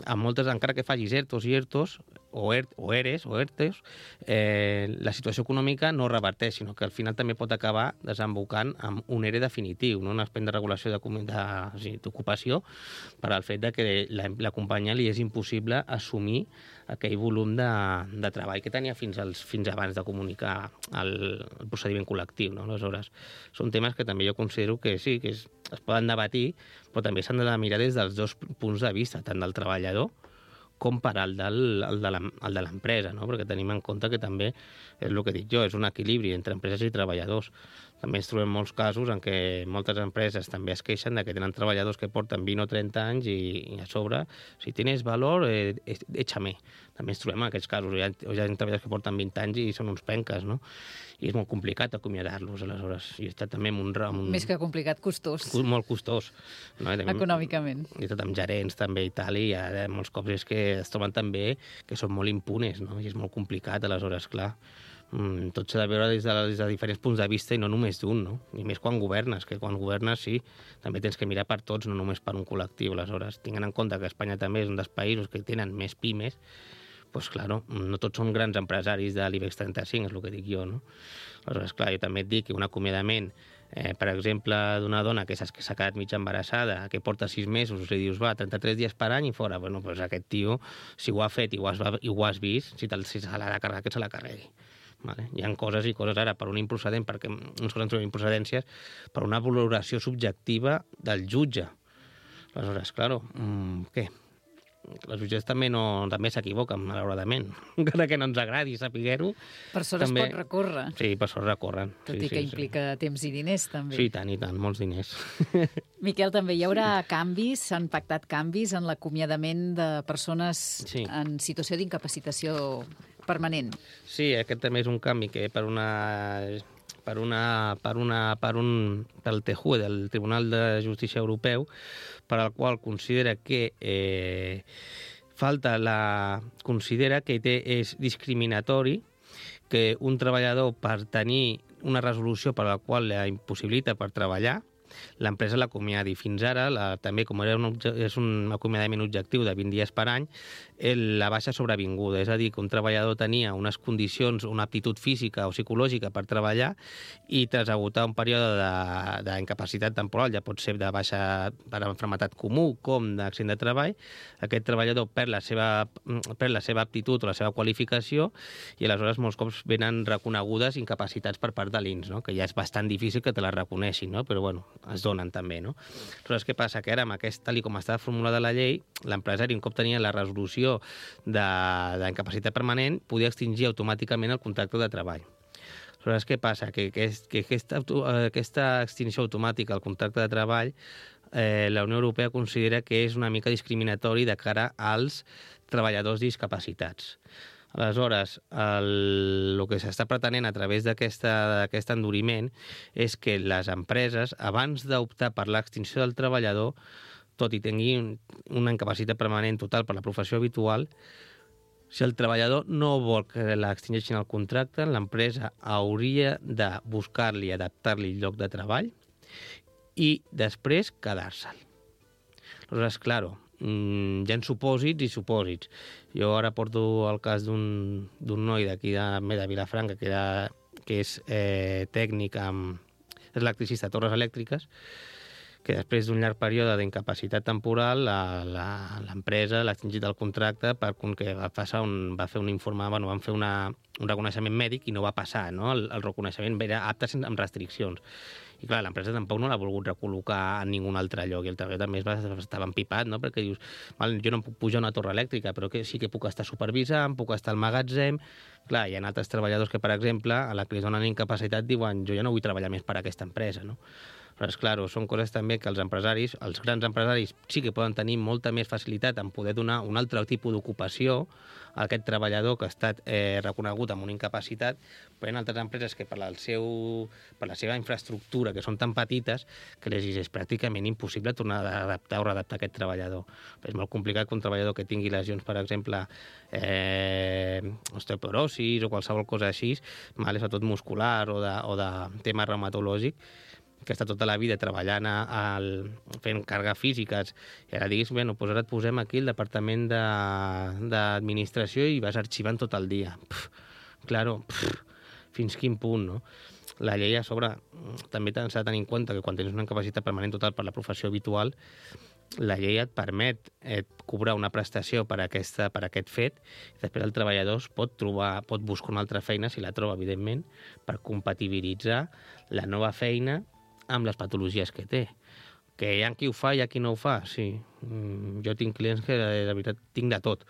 amb moltes, encara que facis ERTOs i ERTOs, o, ERT, o ERES, o ERTES, eh, la situació econòmica no reverteix, sinó que al final també pot acabar desembocant amb un ERE definitiu, no? Un expedient de regulació d'ocupació, per al fet de que la, la companyia li és impossible assumir aquell volum de, de treball que tenia fins, als, fins abans de comunicar el, el procediment col·lectiu. No? Aleshores, són temes que també jo considero que sí, que es, es poden debatir, però també s'han de mirar des dels dos punts de vista, tant del treballador com per al del, el de l'empresa, no? Perquè tenim en compte que també, és el que dic jo, és un equilibri entre empreses i treballadors. També ens trobem molts casos en què moltes empreses també es queixen de que tenen treballadors que porten vint o trenta anys i, i a sobre, si tens valor, eh, échame. També ens trobem en aquests casos. Hi ha, hi ha treballadors que porten vint anys i són uns penques, no? I és molt complicat acomiadar-los, aleshores. I està també en un, en un... Més que complicat, costós. Molt costós. No? També, econòmicament. I tot amb gerents també i tal, i ara molts cops és que es troben també que són molt impunes, no? I és molt complicat, aleshores, clar. Mm, tot s'ha de veure des de, des de diferents punts de vista i no només d'un, no? I més quan governes, que quan governes sí, també tens que mirar per tots, no només per un col·lectiu. Aleshores, tinguent en compte que Espanya també és un dels països que tenen més pimes, doncs, clar, no tots són grans empresaris de l'IBEX trenta-cinc, és el que dic jo, no? Aleshores, clar, jo també et dic que un acomiadament, eh, per exemple, d'una dona que s'ha quedat mig embarassada, que porta sis mesos, li dius, va, trenta-tres dies per any i fora. Bueno, doncs aquest tio, si ho ha fet i ho has, i ho has vist, si, si se l'ha de carregar, que se la carregui. Vale? Hi ha coses i coses ara per un improcedent, perquè uns coses trobem improcedències, per una valoració subjectiva del jutge. Aleshores, clar, mmm, què? els jutges també no també s'equivoquen, malauradament. Encara que no ens agradi saber-ho. Per sort també... es pot recórrer. Sí, per sort recorren. Tot sí, i que sí, implica sí. temps i diners, també. Sí, tant i tant, molts diners. Miquel, també hi haurà canvis, s'han pactat canvis en l'acomiadament de persones sí. en situació d'incapacitació permanent. Sí, aquest també és un canvi que per una... per una, per una, per un, pel T J U E, del Tribunal de Justícia Europeu, per al qual considera que eh, falta la considera que té, és discriminatori que un treballador, per tenir una resolució per la qual la impossibilita per treballar, l'empresa l'acomiadi. Fins ara, la, també com era un, és un acomiadament objectiu de vint dies per any, el, la baixa sobrevinguda, és a dir, que un treballador tenia unes condicions, una aptitud física o psicològica per treballar i tras agotar un període d'incapacitat temporal, ja pot ser de baixa per malaltia comú com d'accident de treball, aquest treballador perd la, seva, perd la seva aptitud o la seva qualificació i aleshores molts cops venen reconegudes incapacitats per part de l'I N S, no? Que ja és bastant difícil que te la reconeixin, no? Però bueno, es donen també, no? Aleshores, què passa? Que ara, amb aquest, tal com estava formulada la llei, l'empresari, un cop tenia la resolució d'incapacitat permanent, podia extingir automàticament el contracte de treball. Aleshores, què passa? Que, que, que aquesta, aquesta extinció automàtica del contracte de treball, eh, la Unió Europea considera que és una mica discriminatori de cara als treballadors discapacitats. Aleshores, el, el que s'està pretenent a través d'aquest enduriment és que les empreses, abans d'optar per l'extinció del treballador, tot i tingui una incapacitat permanent total per la professió habitual, si el treballador no vol que l'extingeixin el contracte, l'empresa hauria de buscar-li, adaptar-li el lloc de treball i després quedar-se'l. Aleshores, clar, hi ha supòsits i supòsits. Jo ara porto el cas d'un noi d'aquí de, de Vilafranca que, era, que és eh, tècnic amb... és electricista a torres elèctriques, que després d'un llarg període d'incapacitat temporal l'empresa l'ha extingit el contracte perquè va, passar un, va fer un informe, bueno, van fer una, un reconeixement mèdic i no va passar, no? El, el reconeixement era apte amb restriccions. I clar, l'empresa tampoc no l'ha volgut recol·locar en ningun altre lloc, i el treballador també estava empipat, no? Perquè dius, val, jo no puc pujar a una torre elèctrica, però que sí que puc estar supervisant, puc estar al magatzem. Clar, hi ha altres treballadors que, per exemple, a la que li donen incapacitat diuen jo ja no vull treballar més per a aquesta empresa, no? Però, clar, són coses també que els empresaris, els grans empresaris, sí que poden tenir molta més facilitat en poder donar un altre tipus d'ocupació a aquest treballador que ha estat eh, reconegut amb una incapacitat, però hi ha altres empreses que per, el seu, per la seva infraestructura, que són tan petites, que les és pràcticament impossible tornar a adaptar o readaptar aquest treballador. Però és molt complicat que un treballador que tingui lesions, per exemple, eh, osteoporosis o qualsevol cosa així, mal, sobretot muscular o de, o de tema reumatològic, que està tota la vida treballant a, a, fent càrregues físiques, i ara diguis, bueno, doncs ara et posem aquí el departament d'administració i vas arxivant tot el dia. Pff, claro, pff, fins quin punt, no? La llei a sobre també s'ha de tenir en compte que quan tens una incapacitat permanent total per la professió habitual, la llei et permet et cobrar una prestació per, aquesta, per aquest fet, i després el treballador pot, trobar, pot buscar una altra feina, si la troba, evidentment, per compatibilitzar la nova feina amb les patologies que té. Que hi ha qui ho fa i hi ha qui no ho fa, sí. Jo tinc clients que, de veritat, tinc de tot.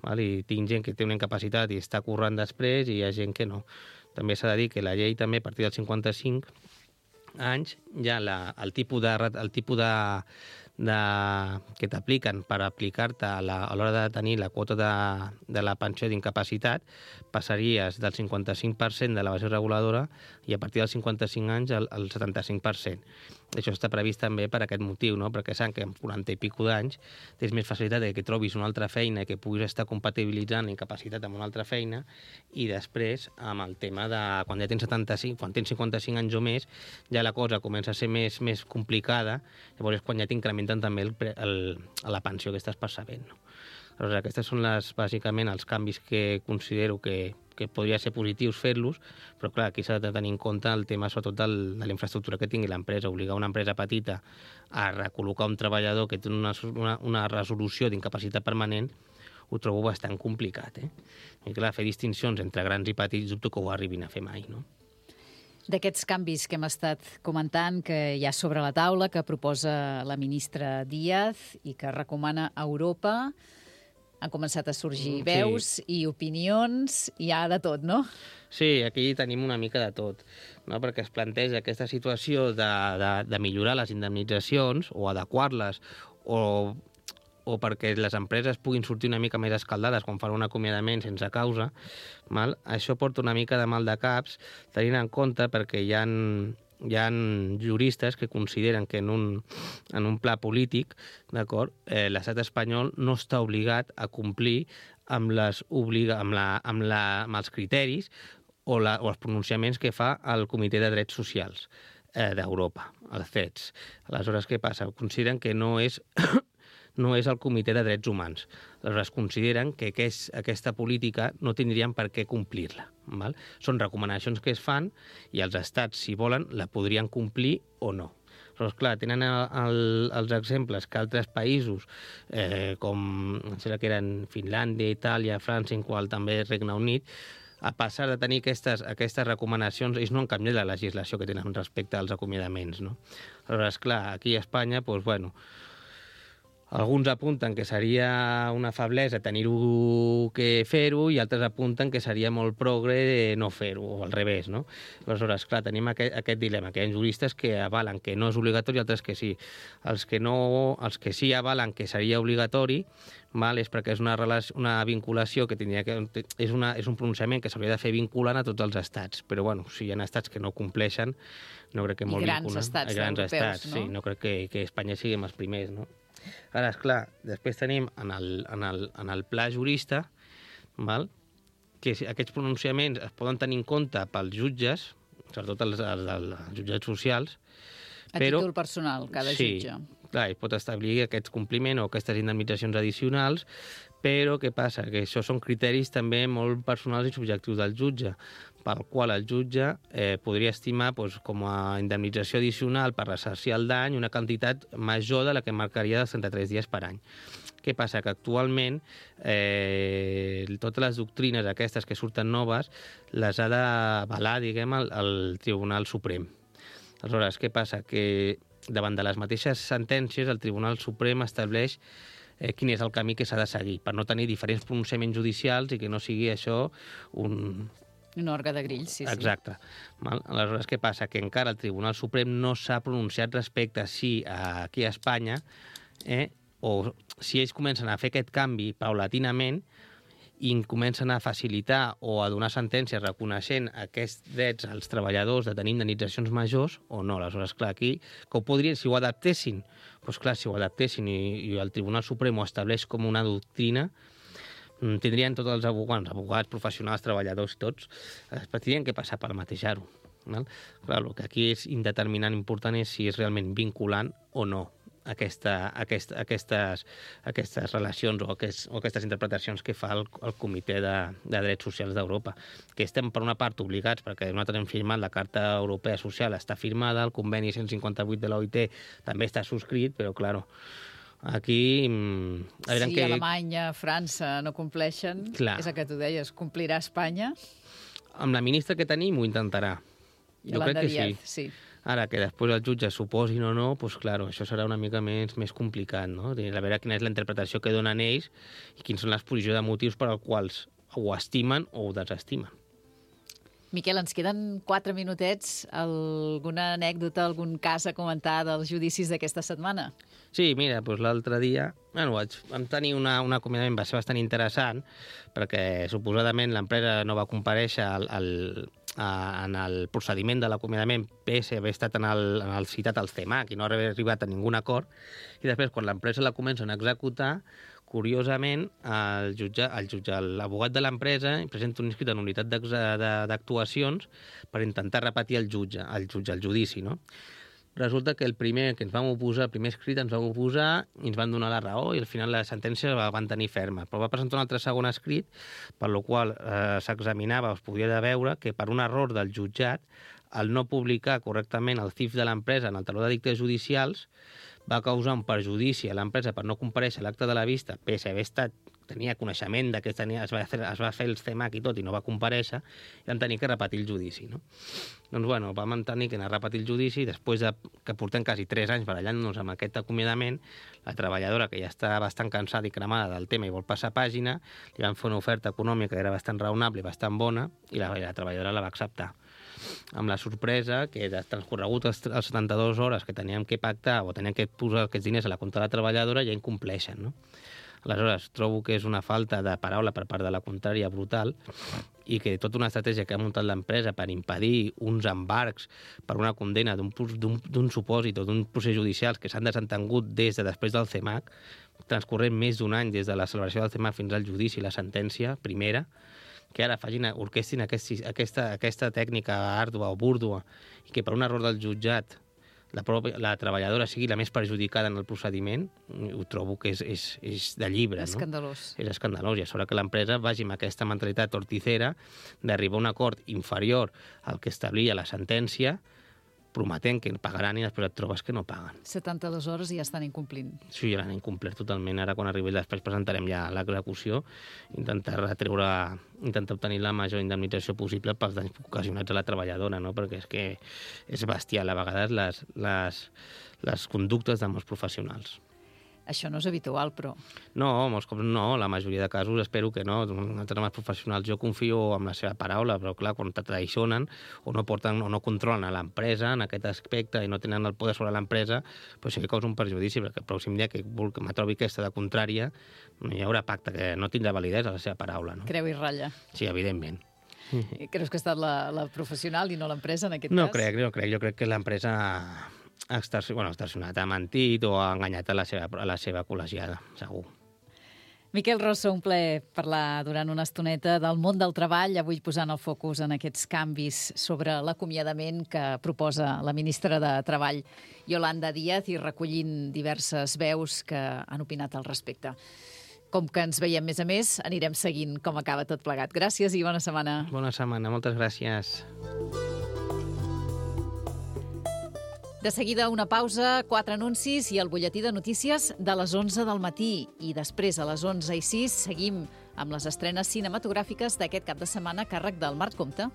Val? I tinc gent que té una incapacitat i està currant després i hi ha gent que no. També s'ha de dir que la llei també, a partir dels cinquanta-cinc anys, ja la, el tipus de... El tipus de De, que t'apliquen per aplicar-te a l'hora de tenir la quota de, de la pensió d'incapacitat, passaries del cinquanta-cinc per cent de la base reguladora i a partir dels cinquanta-cinc anys el, el setanta-cinc per cent. Això està previst també per aquest motiu, no? Perquè saben que amb quaranta i pico d'anys tens més facilitat de que trobis una altra feina, que puguis estar compatibilitzant la incapacitat amb una altra feina, i després amb el tema de quan ja tens setanta-cinc, quan tens cinquanta-cinc anys o més, ja la cosa comença a ser més, més complicada, llavors és quan ja t'incrementen també el, el, la pensió que estàs percebent, no? Aleshores, aquests són les, bàsicament els canvis que considero que, que podria ser positius fer-los, però clar, aquí s'ha de tenir en compte el tema sobretot del, de la infraestructura que tingui l'empresa. Obligar una empresa petita a recol·locar un treballador que té una, una, una resolució d'incapacitat permanent ho trobo bastant complicat, eh? I clar, fer distincions entre grans i petits dubto que ho arribin a fer mai, no? D'aquests canvis que hem estat comentant, que hi ha sobre la taula, que proposa la ministra Díaz i que recomana a Europa, han començat a sorgir Sí. veus i opinions, hi ha de tot, no? Sí, aquí tenim una mica de tot, no? Perquè es planteja aquesta situació de, de, de millorar les indemnitzacions o adequar-les o, o perquè les empreses puguin sortir una mica més escaldades quan fan un acomiadament sense causa, val? Això porta una mica de mal de caps, tenint en compte perquè hi ha, hi ha juristes que consideren que en un, en un pla polític, d'acord, eh, l'estat espanyol no està obligat a complir amb, les obliga, amb, la, amb, la, amb els criteris o, la, o els pronunciaments que fa el Comitè de Drets Socials eh, d'Europa, el C E D S. Aleshores, què passa? Consideren que no és... no és el Comitè de Drets Humans. Aleshores, consideren que aquest, aquesta política no tindrien per què complir-la. Val? Són recomanacions que es fan i els estats, si volen, la podrien complir o no. Aleshores, clar, tenen el, el, els exemples que altres països, eh, com em sembla que eren Finlàndia, Itàlia, França, en qual també Regne Unit, a passar de tenir aquestes, aquestes recomanacions, ells no han canviat la legislació que tenen respecte als acomiadaments. No? Aleshores, clar, aquí a Espanya, doncs, bueno, alguns apunten que seria una feblesa tenir-ho que fer-ho i altres apunten que seria molt progre no fer-ho, o al revés, no? Aleshores, clar, tenim aquest, aquest dilema, que hi ha juristes que avalen que no és obligatori i altres que sí. Els que, no, els que sí avalen que seria obligatori, val, és perquè és una, relació, una vinculació que tindria que... És, una, és un pronunciament que s'hauria de fer vinculant a tots els estats, però bueno, si hi ha estats que no compleixen, no crec que molt I grans vinculant. estats grans europeus, estats, no? sí, no crec que, que Espanya siguem els primers, no? Ara, esclar, després tenim en el, en el, en el pla jurista, val? Que aquests pronunciaments es poden tenir en compte pels jutges, sobretot els, els, els jutjats socials, A però, títol personal, cada sí, jutge. Clar, es pot establir aquest compliment o aquestes indemnitzacions addicionals, però què passa? Que això són criteris també molt personals i subjectius del jutge, pel qual el jutge eh, podria estimar doncs, com a indemnització addicional per ressarcir el dany una quantitat major de la que marcaria dels trenta-tres dies per any. Què passa? Que actualment eh, totes les doctrines aquestes que surten noves les ha d'avalar, diguem, el, el Tribunal Suprem. Aleshores, què passa? Que davant de les mateixes sentències el Tribunal Suprem estableix eh, quin és el camí que s'ha de seguir per no tenir diferents pronunciaments judicials i que no sigui això un... Un òrgan de grills, sí, sí. Exacte. Val? Aleshores, què passa? Que encara el Tribunal Suprem no s'ha pronunciat respecte a si aquí a Espanya, eh, o si ells comencen a fer aquest canvi paulatinament i comencen a facilitar o a donar sentències reconeixent aquests drets als treballadors de tenir indemnitzacions majors o no. Aleshores, clar, aquí, que ho podrien, si ho adaptessin, doncs clar, si ho adaptessin i, i el Tribunal Suprem ho estableix com una doctrina, tindrien tots els advocats, advocats, professionals, treballadors, tots, tindrien que passar per matejar-ho. Val? Clar, el que aquí és indeterminant important és si és realment vinculant o no aquesta, aquesta, aquestes, aquestes relacions o, aquest, o aquestes interpretacions que fa el, el Comitè de, de Drets Socials d'Europa, que estem per una part obligats, perquè nosaltres hem firmat la Carta Europea Social, està firmada, el conveni cent cinquanta-vuit de l'O I T també està subscrit, però, clar, aquí... A si que... Alemanya, França no compleixen, clar. És el que tu deies, complirà Espanya? Amb la ministra que tenim ho intentarà. Jo crec que sí. sí. Ara, que després els jutges suposin o no, doncs, clar, això serà una mica més, més complicat, no? A veure quina és la interpretació que donen ells i quins són l'exposició de motius per als quals ho estimen o ho desestimen. Miquel, ens queden quatre minutets. Alguna anècdota, algun cas a comentar dels judicis d'aquesta setmana? Sí, mira, doncs l'altre dia bueno, vaig, vam tenir una, un acomiadament, va ser bastant interessant, perquè suposadament l'empresa no va comparèixer al, al, a, en el procediment de l'acomiadament pese haver estat en el, en el citat al C E M A C i no haver arribat a ningun acord, i després quan l'empresa la comencen a executar, curiosament, el jutge, el jutge, l'abogat de l'empresa presenta un inscrit en unitat d'actuacions per intentar repetir el jutge, el jutge, el judici, no? Resulta que el primer que ens vam oposar, el primer escrit ens vam oposar i ens van donar la raó i al final la sentència la van tenir ferma. Però va presentar un altre segon escrit, per lo qual eh, s'examinava, es podia de veure que per un error del jutjat, al no publicar correctament el C I F de l'empresa en el taló de dictes judicials, va causar un perjudici a l'empresa per no comparèixer a l'acte de la vista, pese a haver estat tenia coneixement de que tenia, es, va fer, es va fer el C E M A C i tot i no va comparèixer, i vam tenir que repetir el judici. No? Doncs, bueno, vam tenir que anar a repetir el judici i després de que portem quasi tres anys barallant-nos amb aquest acomiadament, la treballadora, que ja està bastant cansada i cremada del tema i vol passar pàgina, li van fer una oferta econòmica que era bastant raonable i bastant bona i la, la treballadora la va acceptar. Amb la sorpresa que de transcorregut les setanta-dues hores que teníem que pactar o teníem que posar aquests diners a la compte de la treballadora ja incompleixen, no? Aleshores, trobo que és una falta de paraula per part de la contrària brutal i que tota una estratègia que ha muntat l'empresa per impedir uns embarcs per una condena d'un supòsit o d'un procés judicial que s'han desentengut des de després del C E M A C, transcorrent més d'un any des de la celebració del C E M A C fins al judici i la sentència primera, que ara facin, orquestin aquest, aquesta, aquesta tècnica àrdua o búrdua i que per un error del jutjat la, pròpia, la treballadora sigui la més perjudicada en el procediment, ho trobo que és, és, és de llibre. Escandalós. No? És escandalós. I a sobre que l'empresa vagi amb aquesta mentalitat torticera d'arribar a un acord inferior al que establia la sentència, prometent que pagaran i després et trobes que no paguen. setanta-dues hores i ja estan incomplint. Sí, ja l'han incomplert totalment. Ara, quan arribi després, presentarem ja l'execució, intentar retreure, intentar obtenir la major indemnització possible pels danys ocasionats a la treballadora, no? Perquè és que és bestial a vegades les, les, les conductes de molts professionals. Això no és habitual, però... No, molts cops no, la majoria de casos espero que no. Nosaltres, amb els professionals, jo confio en la seva paraula, però clar, quan te traicionen o no porten o no controlen a l'empresa en aquest aspecte i no tenen el poder sobre l'empresa, doncs sí que causa un perjudici, perquè el pròxim dia que me trobi aquesta de contrària, no hi haurà pacte, que no tindrà validesa la seva paraula. No? Creu i ratlla. Sí, evidentment. Creus que ha estat la, la professional i no l'empresa, en aquest no cas? Crec, no crec. Jo crec que l'empresa ha extorsionat, ha mentit o ha enganyat a la seva, a la seva col·legiada, segur. Miquel Rosso, un plaer parlar durant una estoneta del món del treball, avui posant el focus en aquests canvis sobre l'acomiadament que proposa la ministra de Treball, Yolanda Díaz, i recollint diverses veus que han opinat al respecte. Com que ens veiem més a més, anirem seguint com acaba tot plegat. Gràcies i bona setmana. Bona setmana, moltes gràcies. De seguida una pausa, quatre anuncis i el butlletí de notícies de les onze del matí. I després, a les onze i sis, seguim amb les estrenes cinematogràfiques d'aquest cap de setmana a càrrec del Marc Comte.